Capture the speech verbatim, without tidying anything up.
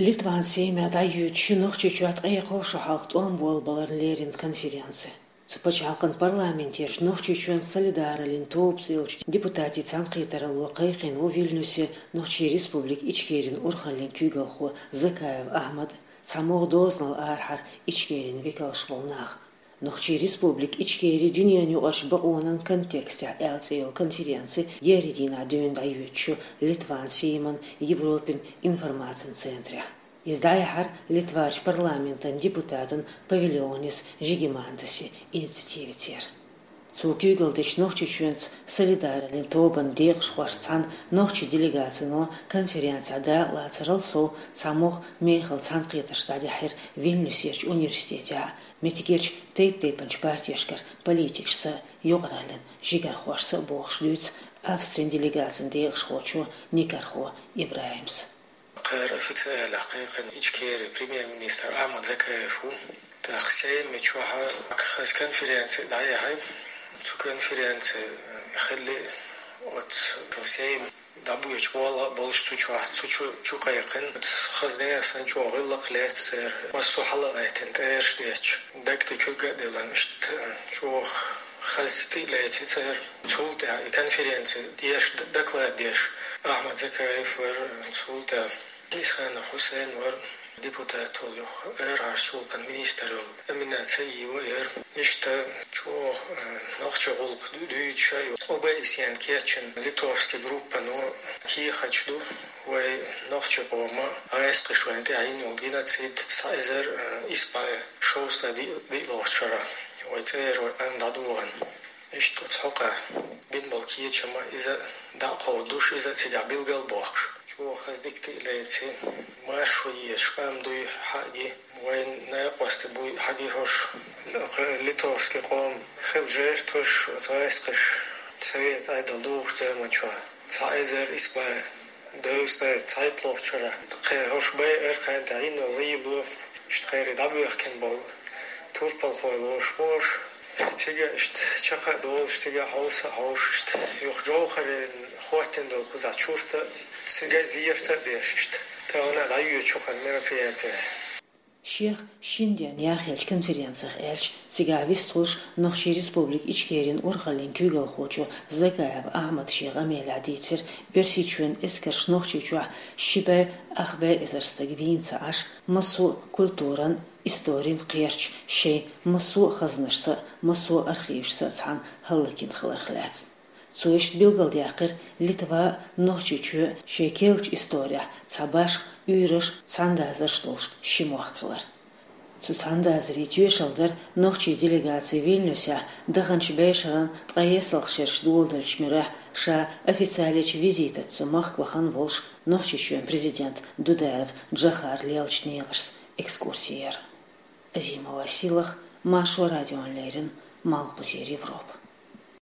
Литван Сейме дӀайоьдуш ю Нохчийчохь ткъе кхо шо хьалха тӀом болабаларна леррина конференци. Цу пачхьалкхан парламентерчу Нохчийчоьнан «Солидаралин тоба» цӀе йолчу депутатийн цхьаьнакхетаралло кхайкхийна ву Вильнюсе Нохчийн Республика Ичкерин урхаллин куьйгалхо Закаев Ахьмад, цхьа могӀа дозанал арахьара Ичкерин векалш болу нах. Нохчийн Республика Ичкери дуьненан юкъарчу бакъонан контекстехь аьлла цӀе йолу конференци еарин дийнахь дуьйна дӀайоьдуш ю Литван Сейман Европин информацин центрехь. Иза дӀаяьхьира Литварчу парламентан депутатан Павилионис Жигимантаси инициативацара. Цо куьйгалла дечу Нохчийчоьнца «Солидаралин тобан» декъашхошца цхьаьна нохчийн делегацино конференцехь дакъалацарал сов цхьа могӀа мехала цхьаьнакхетарш дӀадаьхьира Вильнюсерчу университетехь меттигерчу тайп-тайпанчу партешкара политикашца, юкъараллин жигархошца а бохуш дуьйцу Австрин делегацин декъашхочо Никархо ИбрахӀимс. Кхара официалехь кхайкхина Ичкери премьер-министр Ахьмад Закаев ву. ТӀаккха Сейми чохь хаза конференци дӀаяьхьира. Цу конференци хилли оцу Сейм дӀабоьдуш болу болуш цу чохь, цу чу, чу кхайкхина. Хаза нехан санна чӀогӀа гӀиллакх лаьцна церан. Массо а хьала а гӀаьттина, тӀераш детташ, даг тӀе куьрга а диллина, иштта чӀогӀа хаза тӀе а леци церан. Цул тӀаьхьа и конференци деш, д-, доклад деш Ахьмад Закаев вара, цул тӀаьхьа Исханов Хьусейн вара, депутат волу, юха арахьарчу гӀуллакхийн министр йолу Аминат Саиева яра. Иштта чӀогӀа, э, нохчийн гӀуллакх ду-, дуьйцуш а ю. О Б С Е-н кечйина литовски группано кехаташ ду, вай нохчийн къоман гӀайскхаша вайна тӀехь йина йолу геноцид цхьа эзар, э, исс бӀе шовзткъе диъ-, диълагӀчу шарахь вай цӀера, вай къам дӀадохийна. Иштта оцу хьокъехь бина болу кечам а иза дӀа а кховдуш, иза а цигахь билгал а бохкуш, чӀогӀа хаза дика тӀе а леци, маршо езаш къам дуй хьаъ ги, вайн накъостий буй хьаъ ги хӀорш, литовски къоман хилла жертваш, оцу гӀайскхаша, совет Ӏедал духучу заман чохь. Цхьа эзар исс бӀе дезткъе цхьайтталгӀачу шарахь кхин хӀорш байъара, кхин тӀехь йина йолу гӀийла, иштта кхерий дӀабоьхкина болу турпалхой лоруш бу хӀорш. Цига иштта чекх а долуш, цига хьовса а хьовсуш, иштта юха Джовхарин хӀоттийна долу кхузахь чурт а, цига а зерат а беш, иштта тахана дӀайоьдуш ю хӀара мероприяти. Шех шина денна яхъеллачу конференцих аьлча, цигахь вистхуьлуш Нохчийн Республика Ичкерин урхаллин куьйгалхочо Закаев Ахьмада шен къамелехь дийцира, Оьрсийчоьнан эскарша Нохчийчохь ши бӀе ах бӀе эзар стаг вийна ца Ӏаш, массо а культуран, историн кхерч шайн массо а хазнашца а, массо а архивашца а цхьаьна хӀаллакйина хиларх лаьцна. Цо иштта билгалдаьккхира, Литва а, Нохчийчоь а шайн керлачу исторехь цхьа башха, уьйраш а, цхьаьнадазарш а долуш ши мохк хилар. Цу цхьаьнадазарийн тоьшалла дара нохчийн делегаци Вильнюсехь даханчу бӀешеран ткъе ялх шераш доладеллачу муьрехь ша официалечу визитаца цу махка вахана волуш Нохчийчоьнан президент Дудаев Джохар лелачу некъашца экскурси яр. Азимова Силах, Маршо радиона леррина, Малхбузера Европа.